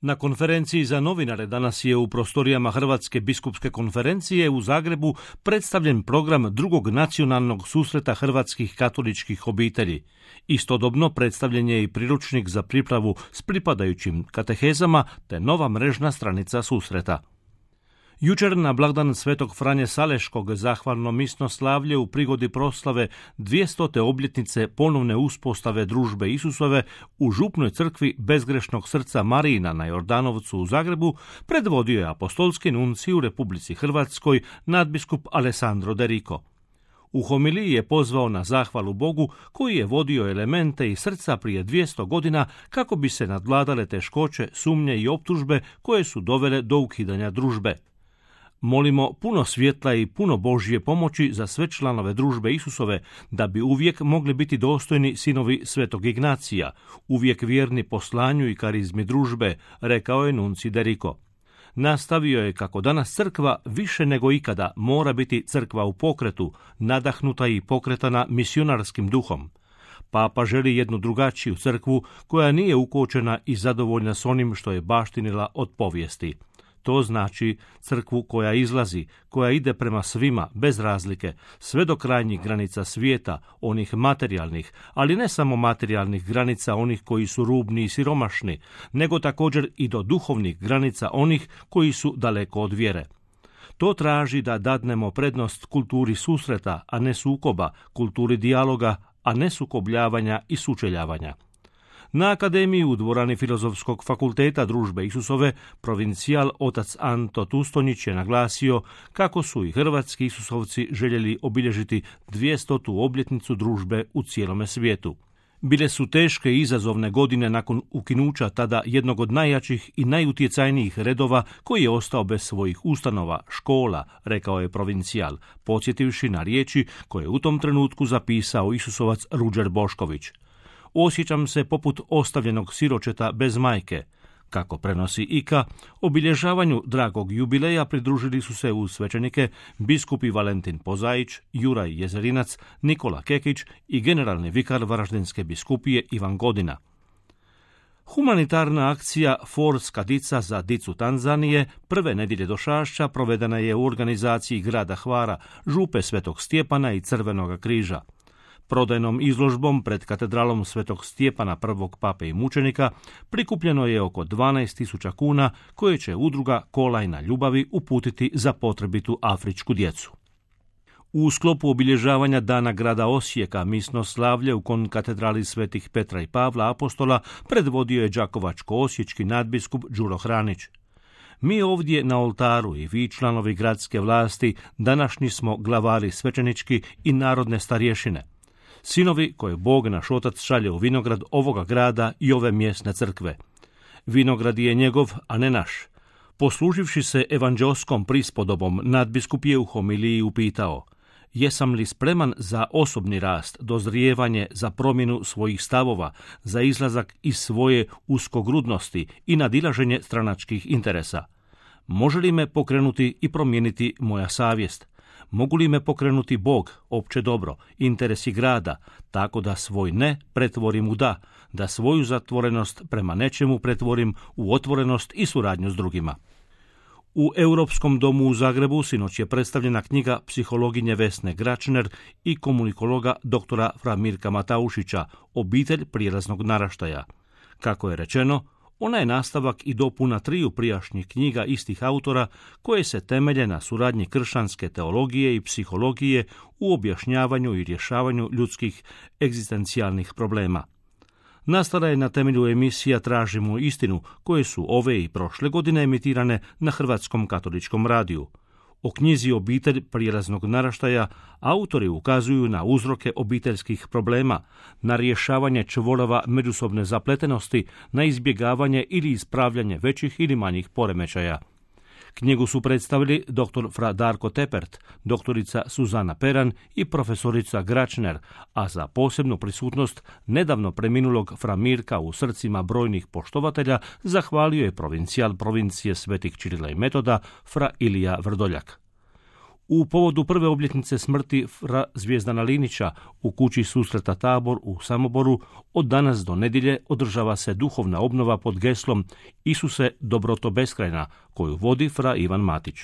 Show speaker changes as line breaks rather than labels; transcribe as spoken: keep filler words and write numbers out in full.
Na konferenciji za novinare danas je u prostorijama Hrvatske biskupske konferencije u Zagrebu predstavljen program drugog nacionalnog susreta hrvatskih katoličkih obitelji. Istodobno predstavljen je i priručnik za pripravu s pripadajućim katehezama te nova mrežna stranica susreta. Jučer na blagdan Svetog Franje Saleškog zahvalno misno slavlje u prigodi proslave dvjestote obljetnice ponovne uspostave družbe Isusove u župnoj crkvi Bezgrešnog srca Marijina na Jordanovcu u Zagrebu predvodio je apostolski nuncij u Republici Hrvatskoj nadbiskup Alessandro De Rico. U homiliji je pozvao na zahvalu Bogu koji je vodio elemente iz srca prije dvjesto godina kako bi se nadvladale teškoće, sumnje i optužbe koje su dovele do ukidanja družbe. Molimo puno svjetla i puno Božje pomoći za sve članove družbe Isusove, da bi uvijek mogli biti dostojni sinovi Svetog Ignacija, uvijek vjerni poslanju i karizmi družbe, rekao je nuncij De Rico. Nastavio je kako danas crkva više nego ikada mora biti crkva u pokretu, nadahnuta i pokretana misionarskim duhom. Papa želi jednu drugačiju crkvu koja nije ukočena i zadovoljna s onim što je baštinila od povijesti. To znači crkvu koja izlazi, koja ide prema svima, bez razlike, sve do krajnjih granica svijeta, onih materijalnih, ali ne samo materijalnih granica onih koji su rubni i siromašni, nego također i do duhovnih granica onih koji su daleko od vjere. To traži da dadnemo prednost kulturi susreta, a ne sukoba, kulturi dijaloga, a ne sukobljavanja i sučeljavanja. Na akademiji u dvorani Filozofskog fakulteta družbe Isusove provincijal otac Anto Tustonjić je naglasio kako su i hrvatski Isusovci željeli obilježiti dvjestotu obljetnicu družbe u cijelome svijetu. Bile su teške i izazovne godine nakon ukinuća tada jednog od najjačih i najutjecajnijih redova koji je ostao bez svojih ustanova, škola, rekao je provincijal, podsjetivši na riječi koje je u tom trenutku zapisao Isusovac Ruđer Bošković. Osjećam se poput ostavljenog siročeta bez majke. Kako prenosi I K A, obilježavanju dragog jubileja pridružili su se uz svećenike biskupi Valentin Pozaić, Juraj Jezerinac, Nikola Kekić i generalni vikar Varaždinske biskupije Ivan Godina. Humanitarna akcija Forska dica za dicu Tanzanije prve nedjelje do Šašća provedena je u organizaciji grada Hvara, župe Svetog Stjepana i Crvenoga križa. Prodajnom izložbom pred katedralom Svetog Stjepana prvog pape i mučenika prikupljeno je oko dvanaest tisuća kuna koje će udruga Kolajna ljubavi uputiti za potrebitu afričku djecu. U sklopu obilježavanja dana grada Osijeka misno slavlje u konkatedrali Svetih Petra i Pavla apostola predvodio je đakovačko-osječki nadbiskup Đuro Hranić. Mi ovdje na oltaru i vi članovi gradske vlasti današnji smo glavari svećenički i narodne starješine. Sinovi koje Bog naš Otac šalje u vinograd ovoga grada i ove mjesne crkve. Vinograd je njegov, a ne naš. Posluživši se evanđelskom prispodobom, nadbiskup je u homiliji upitao: jesam li spreman za osobni rast, dozrijevanje, za promjenu svojih stavova, za izlazak iz svoje uskogrudnosti i nadilaženje stranačkih interesa? Može li me pokrenuti i promijeniti moja savjest? Mogu li me pokrenuti Bog, opće dobro, interesi grada, tako da svoj ne pretvorim u da, da svoju zatvorenost prema nečemu pretvorim u otvorenost i suradnju s drugima? U Europskom domu u Zagrebu sinoć je predstavljena knjiga psihologinje Vesne Gračner i komunikologa doktora Fra Mirka Mataušića Obitelj prijelaznog naraštaja. Kako je rečeno, ona je nastavak i dopuna triju prijašnjih knjiga istih autora koje se temelje na suradnji kršćanske teologije i psihologije u objašnjavanju i rješavanju ljudskih egzistencijalnih problema. Nastala je na temelju emisija Tražimo istinu, koje su ove i prošle godine emitirane na Hrvatskom katoličkom radiju. O knjizi Obitelj prijelaznog naraštaja autori ukazuju na uzroke obiteljskih problema, na rješavanje čvorova međusobne zapletenosti, na izbjegavanje ili ispravljanje većih ili manjih poremećaja. Knjigu su predstavili doktor Fra Darko Tepert, doktorica Suzana Peran i profesorica Gračner, a za posebnu prisutnost nedavno preminulog Fra Mirka u srcima brojnih poštovatelja zahvalio je provincijal provincije Svetih Čirila i Metoda Fra Ilija Vrdoljak. U povodu prve obljetnice smrti fra Zvijezdana Linića u kući susreta Tabor u Samoboru od danas do nedjelje održava se duhovna obnova pod geslom Isuse, dobroto beskrajna, koju vodi fra Ivan Matić.